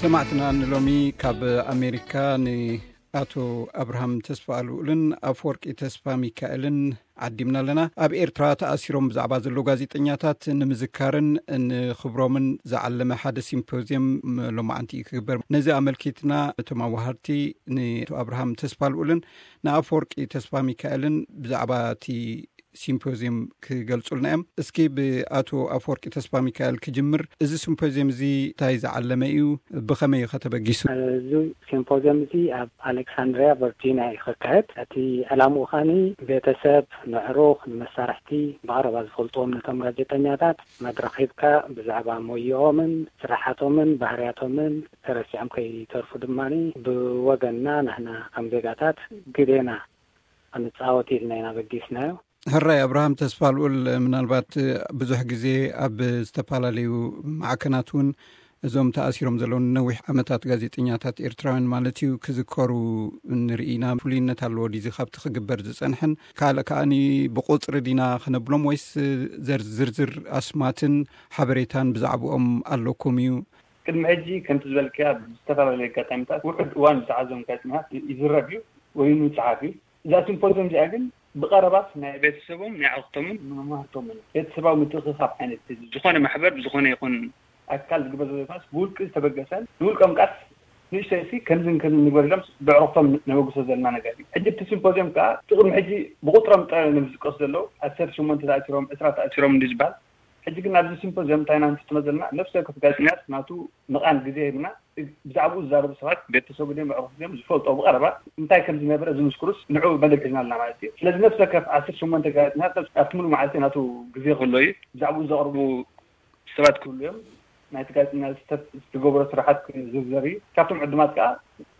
ሰማዕትና ንሎሚ ካብ ኣሜሪካ ንኣቶ ኣብርሃም ተስፋ ኣልኡልን ኣፈወርቂ ተስፋ ሚካኤልን ዓዲምና ኣለና። ኣብ ኤርትራ ተኣሲሮም ብዛዕባ ዘለዉ ጋዜጠኛታት ንምዝካርን ንኽብሮምን ዝዓለመ ሓደ ሲምፖዝየም ሎማዓንቲ እዩ ክግበር። ነዚ ኣመልኪትና እቶም ኣዋሃድቲ ንኣቶ ኣብርሃም ተስፋ ኣልኡልን ንኣፈወርቂ ተስፋ ሚካኤልን ብዛዕባ እቲ ሲምፖዝየም ክገልጹልና እዮም። እስኪ ብኣቶ ኣፈወርቂ ተስፋ ሚካኤል ክጅምር። እዚ ሲምፖዝየም እዚ እንታይ ዝዓለመ እዩ? ብኸመይ እዩ ከተበጊሱ? እዚ ሲምፖዝየም እዚ ኣብ ኣሌክሳንድሪያ ቨርጂኒያ እዩ ክካየድ። እቲ ዕላምኡ ኸዓኒ ቤተሰብ፣ ንዕሩኽ፣ ንመሳርሕቲ፣ ብቐረባ ዝፈልጥዎም ነቶም ጋዜጠኛታት መድረኽ ሂብካ ብዛዕባ ሞያኦምን ስራሓቶምን ባህርያቶምን ተረሲዖም ከይተርፉ ድማ ብወገንና ንሕና ከም ዜጋታት ግዴና ክንጻወት ኢልና ኢና በጊስናዮ። ሕራይ ኣብርሃም ተስፋ ልኡል፣ ምናልባት ብዙሕ ግዜ ኣብ ዝተፈላለዩ ማዕከናት እውን እዞም ተኣሲሮም ዘለዉ ነዊሕ ዓመታት ጋዜጠኛታት ኤርትራውያን ማለት እዩ ክዝከሩ ንርኢ ኢና። ፍሉይነት ኣለዎ ድዩ ካብቲ ክግበር ዝጸንሐን? ካልእ ከኣኒ ብቁጽሪ ዲና ክነብሎም ወይስ ዘር-፣ ዝርዝር ኣስማትን ሓበሬታን ብዛዕባኦም ኣለኩም እዩ? ቅድሚ ሕጂ ከምቲ ዝበልክያ ብዝተፈላለዩ ኣጋጣሚታት ውሑድ እዋን ዝተሓዞም ጋዜጠኛታት ይዝረብ እዩ ወይ እውን ይጸሓፍ እዩ። እዛ ሲምፖዝየም እዚኣ ግን ብቐረባት ናይ ቤተሰቦም፣ ናይ ኣዕሩኽቶምን መማህርቶምን ቤተሰባዊ ምትእኽኻብ ዓይነት ዝኾነ ማሕበር ብዝኾነ ይኹን ኣካል ዝግበር ዘሎ ፋስ ብውልቂ ዝተበገሰን ንውልቆም ቃስ ንእሽተይሲ ከምዝን ከምዝን ንግበር ኢሎም ብዕሩኽቶም ነበግሶ ዘለና ነገር እዩ። ሕጂ እቲ ሲምፖዝየም ከዓ እቲ ቅድሚ ሕጂ ብቁጥሮም ጥራይ እዮም ዝጥቀሱ ዘለዉ። ዓሰርተ ሸሞንተ ተኣሲሮም፣ ዕስራ ተኣሲሮም እንዲ ዝበሃል። ሕጂ ግን ኣብዚ ሲምፖዝየም እንታይ ኢና ንፍትኖ ዘለና? ነፍሲ ወከፍ ጋዜጠኛታት ናቱ ምቓን ግዜ ሂብና ብዛዕባኡ ዝዛረቡ ሰባት ቤተሰቡ ድዮም ኣዕሩኽ ድዮም ዝፈልጦ ብቐረባ እንታይ ከም ዝነበረ ዝምስክሩስ ንዑ መደብ ሒዝና ኣለና ማለት እዩ። ስለዚ ነፍሲ ወከፍ ዓሰርተ ሸሞንተ ጋዜጠኛታት ኣብቲ ሙሉእ መዓልቲ ናቱ ግዜ ክህሎ እዩ። ብዛዕባኡ ዘቕርቡ ሰባት ክህሉ እዮም። ናይቲ ጋዜጠኛ ዝተፍ-፣ ዝገበሮ ስራሓት ክዝርዘር እዩ። ካብቶም ዕዱማት ከዓ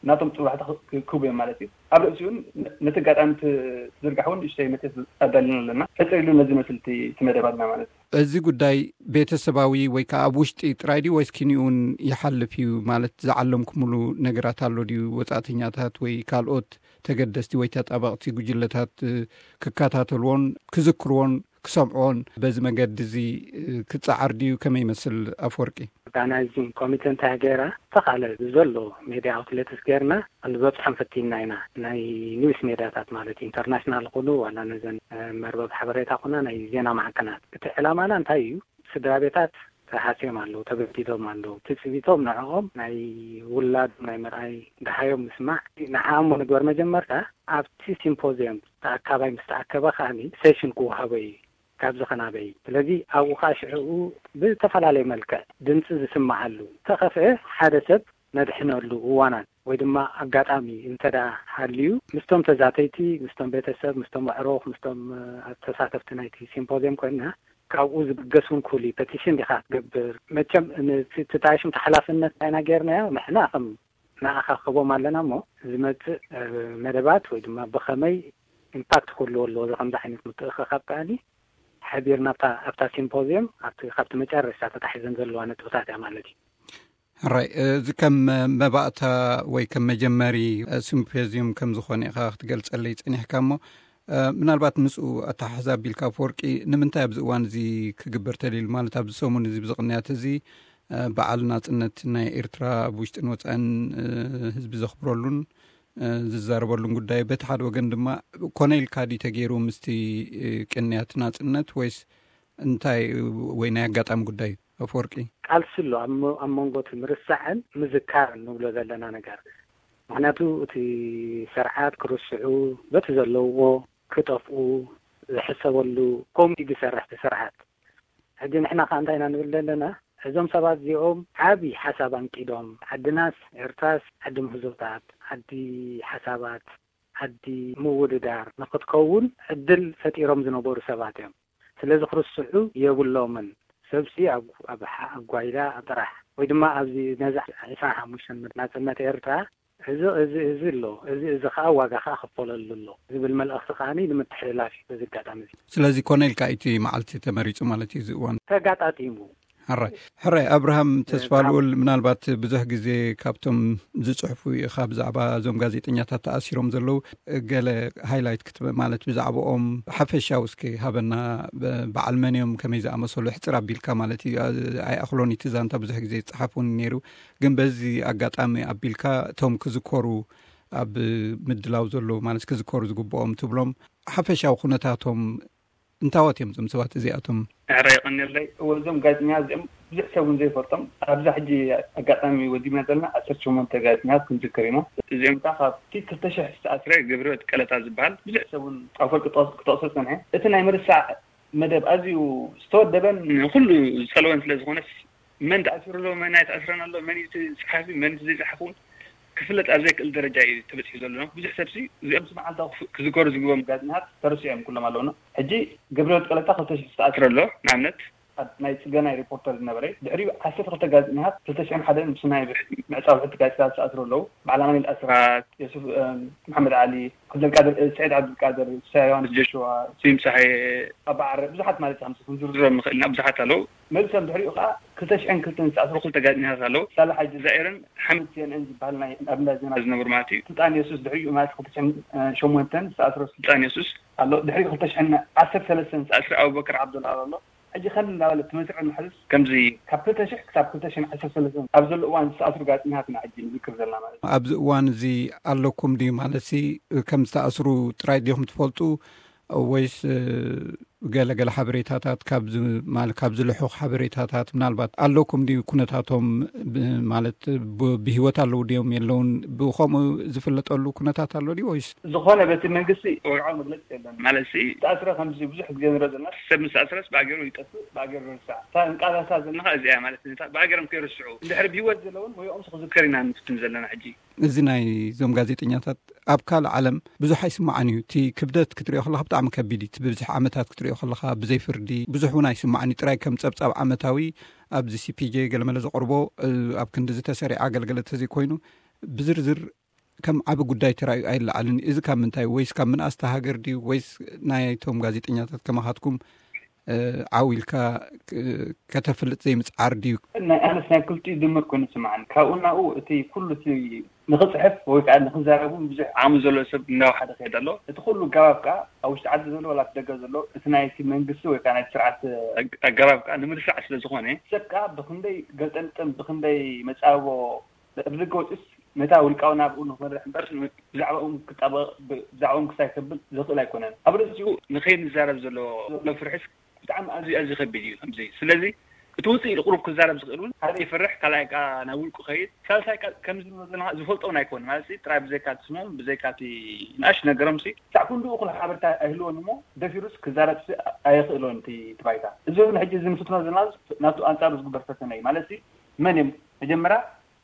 ናቶም ጥርባሕታ ክ-፣ ክህቡ እዮም ማለት እዩ። ኣብ ርእሲኡ እውን ነ-፣ ነቲ ኣጋጣሚ ት-፣ ትዝርጋሕ እውን ንእሽተይ መጽሔት ኣዳሊና ኣለና። ሕጽር ኢሉ ነዚ መስል እቲ፣ እቲ መደባትና ማለት እዩ። እዚ ጉዳይ ቤተሰባዊ ወይ ከዓ ኣብ ውሽጢ ጥራይ ድዩ ወይስ ኪንኡ እውን ይሓልፍ እዩ? ማለት ዝዓለምኩምሉ ነገራት ኣሎ ድዩ? ወጻእተኛታት ወይ ካልኦት ተገደስቲ ወይ ተጣበቕቲ ጉጅለታት፣ እ፣ ክከታተልዎን ክዝክርዎን ክሰምዕዎን በዚ መገዲ እዚ፣ እ፣ ክጸዓር ድዩ? ከመይ ይመስል ኣፈወርቂ? ኦርጋናይዚንግ ኮሚቴ እንታይ ገይራ? ተኻለ ብዘሎ ሜድያ ኣውትሌትስ ገይርና ክንበጽሖም ፈቲና ኢና። ናይ ኒውስ ሜድያታት ማለት ኢንተርናሽናል ኩኑ ዋላ ነዘን፣ እ፣ መርበብ ሓበሬታ ኩና ናይ ዜና ማዕከናት። እቲ ዕላማና እንታይ እዩ? ስድራ ቤታት ተሃስዮም ኣለዉ፣ ተበዲዶም ኣለዉ። ትጽቢቶም ንዕኦም ናይ ውላዶም ናይ ምርኣይ፣ ደሃዮም ምስማዕ፣ ንዓኦም ንግበር መጀመርታ። ኣብቲ ሲምፖዝየም ተኣካባይ ምስ ተኣከበ ከኣኒ ሴሽን ክወሃቦ እዩ። ካብዚ ከናበይ። ስለዚ ኣብኡ ከኣ ሽዕኡ ብዝተፈላለየ መልክዕ ድምጺ ዝስምዓሉ፣ ተኸፍአ ሓደ ሰብ ነድሕነሉ እዋናት ወይ ድማ ኣጋጣሚ እንተ ደኣ ሃልዩ፣ ምስቶም ተዛተይቲ፣ ምስቶም ቤተሰብ፣ ምስቶም ኣዕሩኽ፣ ምስቶም፣ እ፣ ተሳተፍቲ ናይቲ ሲምፖዝየም ኮይንና ካብኡ ዝብገስ እውን ክህሉ እዩ። ፐቲሽን ዲኻ ክትገብር? መቸም ን-፣ እቲ፣ እቲ ሽም ተሓላፍነት ናይና ጌርናዮ ንሕና ከም ንኣኻኽቦም ኣለና እሞ ዝመጽእ፣ እ፣ መደባት ወይ ድማ ብኸመይ ኢምፓክት ክህልዎ ኣለዎ፣ እዚ ከምዚ ዓይነት ምትእኽኻብ ከኣኒ ሓቢርና ኣብታ፣ ኣብታ ሲምፖዝየም ኣብቲ፣ ካብቲ መጨረሻ ተታሒዘን ዘለዋ ነጥብታት እያ ማለት እዩ። ሕራይ፣ እዚ ከም መባእታ ወይ ከም መጀመሪ ሲምፖዝየም ከም ዝኾነ ኢኻ ክትገልጸለይ ጸኒሕካ እሞ፣ እ፣ ምናልባት ምስኡ ኣተሓሕዛ ኣቢልካ ኣፈወርቂ፣ ንምንታይ ኣብዚ እዋን እዚ ክግበር ተልዩ? ማለት ኣብዚ ሰሙን እዚ፣ ብዚ ቅንያት እዚ፣ እ፣ በዓል ናጽነት ናይ ኤርትራ ኣብ ውሽጥን ወጻእን፣ እ፣ ህዝቢ ዘኽብረሉን፣ እ፣ ዝዛረበሉን ጉዳይ፣ በቲ ሓደ ወገን ድማ ኮነ ኢልካ ድዩ ተገይሩ ምስቲ፣ እ፣ ቅንያት ናጽነት ወይስ እንታይ ወይ ናይ ኣጋጣሚ ጉዳይ ኣፈወርቂ? ቃልሲ ኣሎ ኣብ መ-፣ ኣብ መንጎ እቲ ምርሳዕን ምዝካርን ንብሎ ዘለና ነገር። ምኽንያቱ እቲ ስርዓት ክርስዑ በቲ ዘለውዎ ክጠፍኡ ዝሕሰበሉ ኮሚቲ ዝሰርሕ እቲ ስርዓት። ሕጂ ንሕና ከኣ እንታይ ኢና ንብል ዘለና? እዞም ሰባት እዚኦም ዓቢ ሓሳብ ኣንቂዶም፣ ዓድናስ ኤርትራስ ዓዲ ምህዞታት፣ ዓዲ ሓሳባት፣ ዓዲ ምውድዳር ንኽትከውን ዕድል ፈጢሮም ዝነበሩ ሰባት እዮም። ስለዚ ክርስዑ የብሎምን። ሰብሲ ኣብ፣ ኣብ ሓ-፣ ኣብ ጓይላ ኣብ ጥራሕ ወይ ድማ ኣብዚ ነዛ ዕስራን ሓሙሽተን ናጽነት ኤርትራ እዚ፣ እዚ፣ እዚ ኣሎ፣ እዚ፣ እዚ ኸኣ ዋጋ ኸኣ ክፈለሉ ኣሎ ዝብል መልእኽቲ ከኣ ንምትሕልላፍ እዩ በዚ ኣጋጣሚ እዚ። ስለዚ ኮነ ኢልካ እቲ መዓልቲ ተመሪጹ ማለት እዩ እዚ እዋን? ተጋጣጢሙ። ሕራይ ሕራይ ኣብርሃም ተስፋ ልኡል፣ ምናልባት ብዙሕ ግዜ ካብቶም ዝጽሕፉ ኢኻ ብዛዕባ እዞም ጋዜጠኛታት ተኣሲሮም ዘለዉ፣ ገለ ሃይላይት ክትበ ማለት ብዛዕባኦም ሓፈሻዊ እስኪ ሃበና። በዓል መን እዮም፣ ከመይ ዝኣመሰሉ፣ ሕጽር ኣቢልካ ማለት እዩ። ኣይኣኽሎን እቲ ዛንታ፣ ብዙሕ ግዜ ዝጸሓፍ እውን ነይሩ። ግን በዚ ኣጋጣሚ ኣቢልካ እቶም ክዝከሩ፣ ኣብ ምድላው ዘለዉ ማለት ክዝከሩ ዝግብኦም ትብሎም ሓፈሻዊ ኩነታቶም እንታዎት እዮም እዞም ሰባት እዚኣቶም? ሕራይ የቐንየለይ። እወ፣ እዞም ጋዜጠኛታት እዚኦም ብዙሕ ሰብ እውን ዘይፈልጦም፣ ኣብዛ ሕጂ ኣጋጣሚ ወዲብና ዘለና ዓሰርተ ሸሞንተ ጋዜጠኛታት ክንዝክር ኢና። እዚኦም ከዓ ካብቲ ክልተ ሽሕ ዝተኣስረ ገብረህይወት ቀለታ ዝበሃል ብዙሕ ሰብ እውን ኣብ ፈልቂ ክጠቕሶ ዝጸንሐ፣ እቲ ናይ ምርሳዕ መደብ ኣዝዩ ዝተወደበን ንኹሉ ዝጸለወን ስለ ዝኾነስ፣ መን ተኣሲሩ ኣሎ፣ መን ኣይተኣስረን ኣሎ፣ መን እዩ እቲ ጸሓፊ፣ መን እቲ ዘይጸሓፊ እውን ክፍለጥ ኣብ ዘይክእል ደረጃ እዩ ተበጺሑ ዘሎ። ብዙሕ ሰብሲ እዚኦም መዓልታዊ ክፍ-፣ ክዝከሩ ዝግብኦም ጋዜጠኛታት ተረሲዖም ኩሎም ኣለውና። ሕጂ ገብረህይወት ቀለታ ክልተ ሽሕ ዝተኣስረ ኣሎ። ንኣብነት፣ ኣብ ናይ ጽገናይ ሪፖርተር ዝነበረ፣ ድሕሪኡ ዓሰርተ ክልተ ጋዜጠኛታት ክልተ ሽሕን ሓደን ምስ ናይ ምዕጻው ሕቲ ጋዜጣ ዝተኣስሩ ኣለዉ። በዓል ኣማኑኤል ኣስራት፣ የሱፍ፣ እ፣ መሓመድ ዓሊ፣ ዓብደልቃድር፣ እ፣ ስዒድ ዓብደልቃድር፣ ፍስሃ ዮሃንስ ጆሽዋ፣ ስዩም ጸሃየ፣ ኣባ ዓረ፣ ብዙሓት ማለት ከም ክንዝርዝሮም ንኽእል ኢና፣ ብዙሓት ኣለዉ። መልሶም ድሕሪኡ ከኣ ክልተ ሽሕን ክልተን ዝተኣስሩ ክልተ ጋዜጠኛታት ኣለዉ። ሳላ ሓጂ ዛኤርን ሓመድ ሲ ኤን ኤን ዝበሃል ናይ ኣብ እንዳ ዜና ዝነብሩ ማለት እዩ። ስልጣን የሱስ ድሕሪኡ ማለት ክልተ ሽሕን ሸሞንተን ዝተኣስረ ስልጣን የሱስ ኣሎ። ድሕሪኡ ክልተ ሽሕን ዓሰርተ ሰለስተን ዝተኣስረ ኣቡበከር ዓብደልኣል ኣሎ። ሕጂ ከም እናበለ እቲ መስርዕ ንሕዝስ ከምዚ ካብ ክልተ ሽሕ ክሳብ ክልተ ሽሕን ዓሰርተ ሰለስተን ኣብ ዘሎ እዋን ዝተኣስሩ ጋዜጠኛታት ኢና ሕጂ ንዝክር ዘለና ማለት እዩ። ኣብዚ እዋን እዚ ኣለኩም ድዩ ማለት ሲ፣ ከም ዝተኣስሩ ጥራይ ዲኹም ትፈልጡ ወይስ፣ እ፣ ገለ ገለ ሓበሬታታት ካብዚ፣ ማለት ካብዚ ልሑኽ ሓበሬታታት ምናልባት ኣለኩም ድዩ? ኩነታቶም ብ-፣ ማለት ብ-፣ ብህይወት ኣለዉ ድዮም የለውን? ብኸምኡ ዝፍለጠሉ ኩነታት ኣሎ ድዩ ወይስ? ዝኾነ በቲ መንግስቲ ወግዓዊ መግለጺ የለን። ማለት ሲ፣ ዝተኣስረ ከምዚ ብዙሕ ግዜ ንሪኦ ዘለና፣ ሰብ ምስ ተኣስረስ ብኣገሩ ይጠፍእ፣ ብኣገሩ ይርሳዕ። እታ እንቃላሳ ዘለና እዚኣ ማለት ነታ ብኣገሮም ከይርስዑ፣ እንድሕር ብህይወት ዘለውን ወይኦም ክዝከር ኢና ንፍትን ዘለና ሕጂ። እዚ ናይ እዞም ጋዜጠኛታት ኣብ ካልእ ዓለም ብዙሕ ኣይስማዕን እዩ። እቲ ክብደት ክትሪኦ ከለኻ ብጣዕሚ ከቢድ እዩ። እቲ ብብዝሒ ዓመታት ክትሪኦ ከለኻ ብዘይ ፍርዲ ብዙሕ እውን ኣይስማዕን እዩ። ጥራይ ከም ጸብጻብ ዓመታዊ ኣብዚ ሲ ፒ ጄ ገለመለ ዘቕርቦ፣ እ፣ ኣብ ክንዲ ዝተሰሪዐ ኣገልግሎት ተዘይኮይኑ ብዝርዝር ከም ዓቢ ጉዳይ ተራእዩ ኣይለዓልን። እዚ ካብ ምንታይ? ወይስ ካብ ምንኣስቲ ሃገር ድዩ? ወይስ ናይቶም ጋዜጠኛታት ከማኻትኩም፣ እ፣ ዓው ኢልካ፣ እ፣ ከተፍልጥ ዘይምጽዓር ድዩ? ናይ ኣነስ ናይ ክልቲኡ ድምር ኮይኑ ይስምዓኒ። ካብኡ ናብኡ እቲ ኩሉ እቲ ንኽጽሕፍ ወይ ከዓ ንኽዛረብ እውን ብዙሕ ዓቕሚ ዘሎ ሰብ እናወሓደ ክሄድ ኣሎ። እቲ ኩሉ ኣገባብ ከዓ ኣብ ውሽጢ ዓዲ ዘሎ ዋላ ኣብ ደገ ዘሎ እቲ ናይቲ መንግስቲ ወይ ከዓ ናይቲ ስርዓት ኣግ-፣ ኣገባብ ከዓ ንምርሳዕ ስለ ዝኾነ፣ ሰብ ከዓ ብኽንደይ ገልጠምጥም፣ ብኽንደይ መጻቦ ኣብ ደገ ወፂኡስ ነታ ውልቃዊ ናብኡ ንኽመርሕ እምበር ብዛዕባኦም ክጣበቕ፣ ብ-፣ ብዛዕባኦም ክሳይ ከብል ዘኽእል ኣይኮነን። ኣብ ርእሲኡ ንኸይንዛረብ ዘሎ፣ ዘሎ ፍርሒስ ብጣዕሚ ኣዝዩ፣ ኣዝዩ ከቢድ እዩ ከምዚ። ስለዚ እቲ ውፅኢት ቁሩብ ክዛረብ ዝኽእል እውን ሓደ ይፈርሕ፣ ካልኣይ ከኣ ናብ ውልቁ ከይድ፣ ሳልሳይ ከኣ ከምዚ ንብሎ ዘለና ዝፈልጦ እውን ኣይኮን። ማለት ጥራይ ብዘይካ እቲ ስሞም፣ ብዘይካ እቲ ንኣሽ ነገሮም ሲ፣ ክሳዕ ክንድኡ እኹል ሓበሬታ ኣይህልዎን እሞ ደፊሩስ ክዛረብ ሲ ኣየኽእሎን እቲ፣ እቲ ባይታ። እዚ እውን ሕጂ እዚ ንፍትኖ ዘለና ናቱ ኣንጻሩ ዝግበር ፈተነ እዩ። ማለት መን እዮም መጀመርያ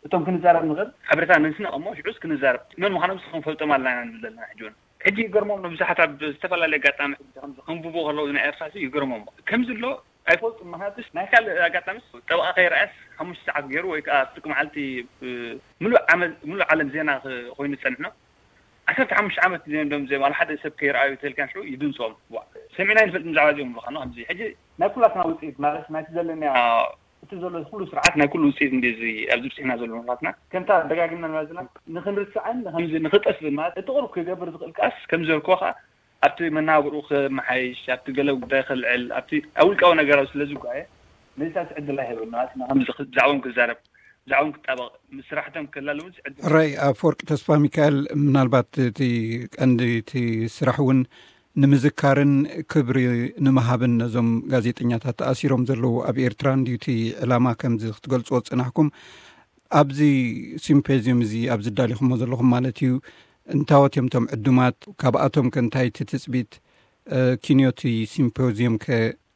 እቶም ክንዛረብ ንኽእል ሓበሬታ ነንስነቕ እሞ ሽዑስ ክንዛረብ መን ምዃኖም ሲ ክንፈልጦም ኣለና ኢና ንብል ዘለና ሕጂ እውን። ሕጂ ይገርሞም ነው ብዙሓት ኣብ ዝተፈላለየ ኣጋጣሚ ሕጂ ከምዚ ከንብቦ ከለዉ ናይ ኤርትራ ሲ ይገርሞም ከምዚ ኣሎ ኣይፈልጡን። ምኽንያቱስ ናይ ካልእ ኣጋጣሚስ ጠበቓ ከይረኣየስ ሓሙሽተ ሰዓት ገይሩ ወይ ከዓ ፍርቂ መዓልቲ፣ እ፣ ምሉእ ዓመት፣ ምሉእ ዓለም ዜና ክ-፣ ኮይኑ ዝጸንሕ ነው። ዓሰርተ ሓሙሽተ ዓመት ዜና ደም ዜ ዋላ ሓደ ሰብ ከይረኣዩ ተልካን ሽዑ ይድንጾም። ዋ፣ ሰሚዕና ይንፈልጥ ብዛዕባ እዚኦም ምዃኑ ከምዚ። ሕጂ ናይ ኩላትና ውጽኢት ማለት ናይቲ ዘለና፣ ኣዎ። እቲ ዘሎ ኩሉ ስርዓት ናይ ኩሉ ውጽኢት እንዲ እዚ ኣብዚ ብጽሕና ዘሎ ምኽንያትና ከምታ ደጋጊምና ንብላ ዘለና ንኽንርስዕን ንኸምዚ ንኽጠፍእን ማለት እቲ ቁሩብ ክገብር ዝኽእል ከኣስ ከምዚ ዘልኮ ከኣ ኣብቲ መናብርኡ ክመሓይሽ፣ ኣብቲ ገለ ጉዳይ ክልዕል፣ ኣብቲ ኣብ ውልቃዊ ነገራዊ ስለ ዝጓየ፣ ነዚታት ዕድል ኣይህበን ማለት ንኸምዚ ክ-፣ ብዛዕባኦም ክዛረብ፣ ብዛዕባኦም ክጣበቕ፣ ምስ ስራሕቶም ክላለውን ዕድል። ሕራይ ኣፈወርቂ ተስፋ ሚካኤል፣ ምናልባት እቲ ቀንዲ እቲ ስራሕ እውን ንምዝካርን ክብሪ ንምሃብን ነዞም ጋዜጠኛታት ተኣሲሮም ዘለዉ ኣብ ኤርትራ እንድዩ እቲ ዕላማ ከምዚ ክትገልጽዎ ዝጸናሕኩም። ኣብዚ ሲምፖዚየም እዚ ኣብዚ ኣዳሊኹሞ ዘለኹም ማለት እዩ፣ እንታዎት እዮም እቶም ዕዱማት? ካብኣቶም ከ እንታይ እቲ ትጽቢት፣ እ፣ ኪንዮቲ ሲምፖዚየም ከ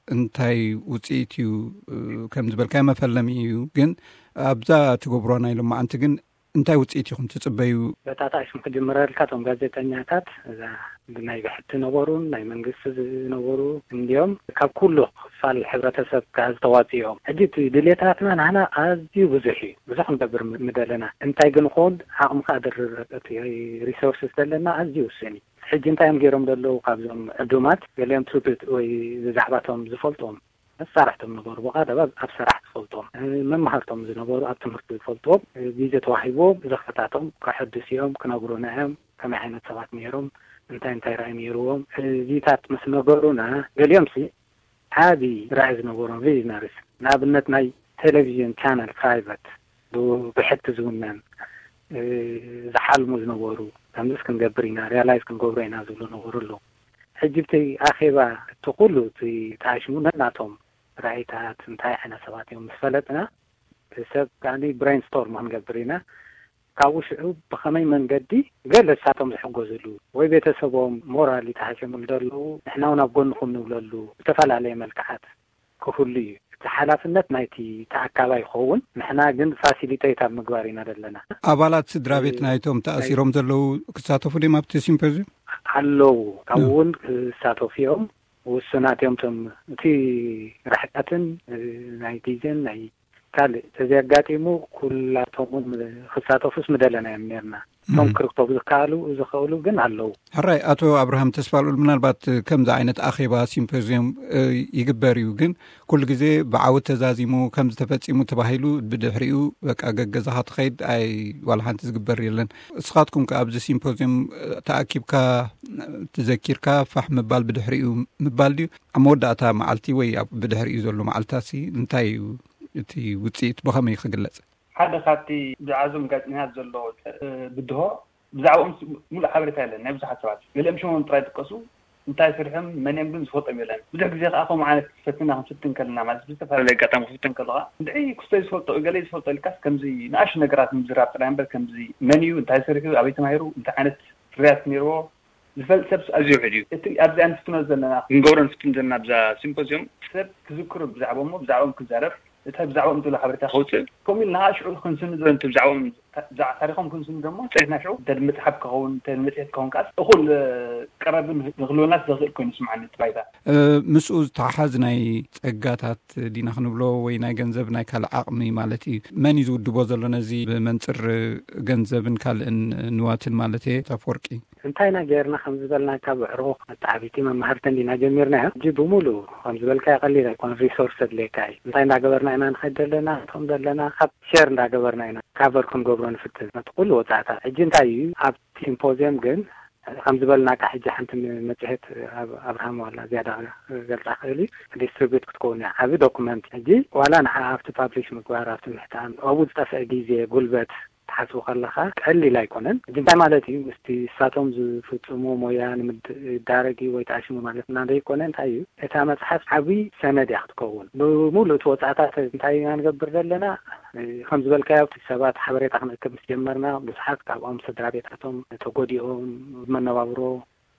እንታይ ውጽኢት እዩ፣ እ፣ ከም ዝበልካዮ መፈለሚ እዩ፣ ግን ኣብዛ ትገብሮ ናይ ሎማዓንቲ ግን እንታይ ውጽኢት ኢኹም ትጽበዩ? በታ ታሕሽም ክጅምረልካ፣ እቶም ጋዜጠኛታት እዛ ብናይ ብሕቲ ነበሩን ናይ መንግስቲ ዝነበሩ እንድዮም፣ ካብ ኩሉ ክፋል ሕብረተሰብ ከኣ ዝተዋጽኡ እዮም። ሕጂ እቲ ድሌታትና ናህና ኣዝዩ ብዙሕ እዩ። ብዙሕ ክንገብር ም-፣ ምደለና። እንታይ ግን ኹን ዓቕምኻ ድርብ፣ እቲ ሪሶርስስ ዘለና ኣዝዩ ውሱን እዩ። ሕጂ እንታይ እዮም ገይሮም ዘለዉ ካብዞም ዕዱማት? ገሊኦም ትውፊት ወይ ብዛዕባቶም ዝፈልጦም መሳርሕቶም ነበሩ። ብቐረባ ኣብ ስራሕ ዝፈልጦም፣ መማህርቶም ዝነበሩ፣ ኣብ ትምህርቲ ዝፈልጥዎም፣ ግዜ ተዋሂቦም ዘኽታቶም ከሐድሱ እዮም፣ ክነግሩና እዮም። ከመይ ዓይነት ሰባት ነይሮም፣ እንታይ እንታይ ራእይ ነይርዎም፣ እዚታት ምስ ነገሩና፣ ገሊኦም ሲ ዓቢ ራእይ ዝነበሮም ቪዥነሪስ፣ ንኣብነት ናይ ቴሌቪዥን ቻነል ፕራይቨት ብ- ብሕቲ ዝውነን፣ እ፣ ዝሓልሙ ዝነበሩ፣ ከምዚስ ክንገብር ኢና፣ ሪያላይዝ ክንገብሮ ኢና ዝብሉ ነበሩ ኣለዉ። ሕጂ ብቲ ኣኼባ እቲ ኩሉ እቲ ተኣሽሙ ነናቶም ራእይታት እንታይ ዓይነት ሰባት እዮም ምስ ፈለጥና፣ ሰብ ከኣኒ ብሬን ስቶርም ክንገብር ኢና። ካብኡ ሽዑ ብኸመይ መንገዲ ገለ ንሳቶም ዝሕገዝሉ ወይ ቤተሰቦም ሞራል ተሃሲምሉ ዘለዉ ንሕና እውን ኣብ ጎንኹም ንብለሉ ዝተፈላለየ መልክዓት ክህሉ እዩ። እቲ ሓላፍነት ናይቲ ተኣካባይ ይኸውን፣ ንሕና ግን ፋሲሊቴት ኣብ ምግባር ኢና ዘለና። ኣባላት ስድራ ቤት ናይቶም ተኣሲሮም ዘለዉ ክሳተፉ ድዮም ኣብቲ ሲምፖዚየም? ኣለዉ፣ ካብኡ እውን ክሳተፉ እዮም። ውሱናት እዮም። እቶም እቲ ርሕቀትን ናይ ግዜን ናይ ካልእ ተዘያጋጢሙ ኩላቶም እውን ክሳተፉስ ምደለና እዮም ነርና። እቶም ክርክቡ ዝከኣሉ ዝኽእሉ ግን ኣለዉ። ሕራይ፣ ኣቶ ኣብርሃም ተስፋልኡል፣ ምናልባት ከምዚ ዓይነት ኣኼባ ሲምፖዚየም እ፣ ይግበር እዩ፣ ግን ኩሉ ግዜ ብዓወት ተዛዚሙ ከምዚ ተፈጺሙ ተባሂሉ ብድሕሪኡ በቃ ገገዛኻ ትኸይድ ኣይ ዋላ ሓንቲ ዝግበር የለን። እስኻትኩም ከ ኣብዚ ሲምፖዚየም እ፣ ተኣኪብካ ትዘኪርካ ፋሕ ምባል ብድሕሪኡ ምባል ድዩ? ኣብ መወዳእታ መዓልቲ ወይ ኣብ ብድሕሪኡ ዘሎ መዓልታሲ እንታይ እዩ እቲ ውጽኢት ብኸመይ ክግለጽ? ሓደ ካብቲ ብዛዕባዞም ጋዜጠኛታት ዘሎ እ፣ ብድሆ ብዛዕባኦም ስ- ሙሉእ ሓበሬታ የለን። ናይ ብዙሓት ሰባት ገሊኦም ሽሞም ጥራይ ይጥቀሱ፣ እንታይ ስርሖም መን እዮም ግን ዝፈልጦም የለን። ብዙሕ ግዜ ከዓ ከምኡ ዓይነት ፈትና ክንፍትን ከለና ማለት ብዝተፈላለየ ኣጋጣሚ ክፍትን ከለካ እንድዒ ክስቶ ዝፈልጦ ገለ ዝፈልጦ ኢልካስ ከምዚ ንኣሽ ነገራት ምዝራብ ጥራይ እምበር ከምዚ መን እዩ እንታይ ስርሑ ኣበይ ተማሂሩ እንታይ ዓይነት ፍርያት ነይርዎ ዝፈልጥ ሰብ ኣዝዩ ውሕድ እዩ። እቲ ኣብዚ ኣንፍትኖ ዘለና ክንገብሮ ንፍትን ዘለና ኣብዛ ሲምፖዚየም ሰብ ክዝክሩ ብዛዕባኦም ብዛዕባኦም ክዛረብ እታ ብዛዕባኦም ትብሎ ሓበሬታ ከውፅእ ከምኡ ኢልና ከዓ ሽዑ ክንስንዶ እቲ ብዛዕባኦም ብዛዕባ ታሪኮም ክንስንዶ እሞ ፅሕና ሽዑ እንተ መፅሓፍ ክኸውን እንተ መፅሄት ክኸውን ከዓስ እኹል ቀረብን ንክልወናስ ዘኽእል ኮይኑ ስምዓኒ እቲ ባይታ። ምስኡ ዝተሓሓዝ ናይ ጸጋታት ዲና ክንብሎ ወይ ናይ ገንዘብ ናይ ካልእ ዓቕሚ ማለት እዩ። መን እዩ ዝውድቦ ዘሎ ነዚ ብመንጽር ገንዘብን ካልእን ንዋትን ማለት እየ ኣፈወርቂ? እንታይ ኢና ጌርና ከም ዝበልናካ ብዕሩኽ መተዓቢቲ መማህርትን ዲና ጀሚርናዮ። ሕጂ ብምሉእ ከም ዝበልካዮ ቀሊል ኣይኮነን፣ ሪሶርስ ኣድልየካ እዩ። እንታይ እንዳገበርና ኢና ንኸይድ ዘለና፣ እቶም ዘለና ካብ ሸር እንዳገበርና ኢና ካቨር ክንገብሮ ንፍትን ነቲ ኩሉ ወጻእታት። ሕጂ እንታይ እዩ ኣብ ሲምፖዚየም ግን ከም ዝበልናካ ሕጂ ሓንቲ መጽሔት ኣብ ኣብርሃም ዋላ ዝያዳ ገልጻ ክእል እዩ ዲስትሪቢዩት ክትከውን እያ። ዓቢ ዶኩመንት ሕጂ ዋላ ንዓ ኣብቲ ፓብሊሽ ምግባር ኣብቲ ምሕታም ኣብኡ ዝጠፍአ ግዜ ጉልበት ትሓስቡ ከለኻ ቀሊል ኣይኮነን። ሕጂ እንታይ ማለት እዩ? ምስቲ ንሳቶም ዝፍጽሙ ሞያ ንምዳረግ እዩ ወይ ተኣሽሙ ማለት እና ዘይኮነ እንታይ እዩ? እታ መጽሓፍ ዓብዪ ሰነድ እያ ክትከውን። ብምሉእ እቲ ወጻእታት እንታይ ኢና ንገብር ዘለና? ከም ዝበልካዮ ኣብቲ ሰባት ሓበሬታ ክንእክብ ምስ ጀመርና ብዙሓት ካብኦም ስድራ ቤታቶም ተጎዲኦም ብመነባብሮ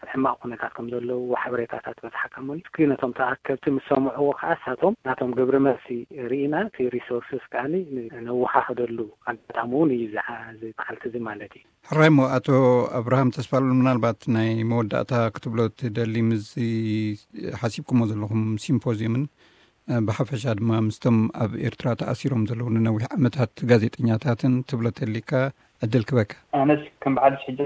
ኣብ ሕማቕ ኩነታት ከም ዘለዉ ሓበሬታታት በጽሓካ እሞ እስኪ ነቶም ተኣከብቲ ምስ ሰምዕዎ ከዓ ንሳቶም ናቶም ግብረ መልሲ ርኢና እቲ ሪሶርስስ ከኣ ነወሓኽደሉ ኣጋጣሚ እውን እዩ እዚ መዓልቲ እዚ ማለት እዩ። ሕራይ እሞ ኣቶ ኣብርሃም ተስፋሉል ምናልባት ናይ መወዳእታ ክትብሎ ትደሊ ምስዚ ሓሲብኩሞ ዘለኹም ሲምፖዚየምን ብሓፈሻ ድማ ምስቶም ኣብ ኤርትራ ተኣሲሮም ዘለዉ ንነዊሕ ዓመታት ጋዜጠኛታትን ትብሎ ተሊካ ዕድል ክበካ። ኣነስ ከም ብሓድሽ ሕጂ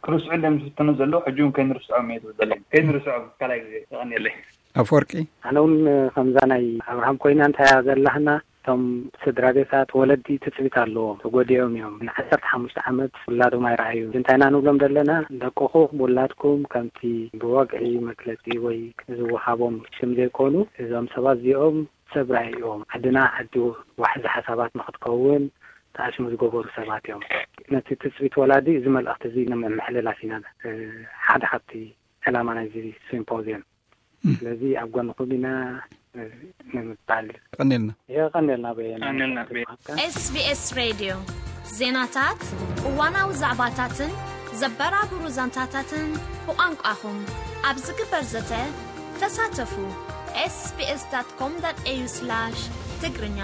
ክርስዑ እንደምዝፍተኑ ዘለዉ ሕጂ እውን ከይንርስዖም እየ ዝብል ዘለኒ። ከይንርስዖም ካልኣይ ግዜ የቐንየለይ። ኣፈወርቂ። ኣነ እውን ከምዛ ናይ ኣብርሃም ኮይና እንታይ እያ ዘላህና እቶም ስድራ ቤታት ወለዲ ትጽቢት ኣለዎም ተጎዲኦም እዮም። ንዓሰርተ ሓሙሽተ ዓመት ውላዶም ኣይረኣዩ። እንታይ ኢና ንብሎም ዘለና ደቅኹም ውላድኩም ከምቲ ብወግዒ መግለጺ ወይ ዝወሃቦም ሽም ዘይኮኑ እዞም ሰባት እዚኦም ሰብ ራእዮም ዓድና ዓዲ ዋሕዚ ሓሳባት ንክትከውን ተኣሽሙ ዝገበሩ ሰባት እዮም። ነቲ ትጽቢት ወላዲ እዚ መልእኽቲ እዚ ንምምሕልላፍ ኢና ሓደ ካብቲ ዕላማ ናይዚ ሲምፖዚየም። ስለዚ ኣብ ጎንኹም ኢና ንምባል ቀኒልና። የቐኒልና በየነ። SBS ሬድዮ ዜናታት፣ እዋናዊ ዛዕባታትን ዘበራብሩ ዛንታታትን ብቋንቋኹም ኣብ ዝግበር ዘተ ተሳተፉ። sbs.com.au/ትግርኛ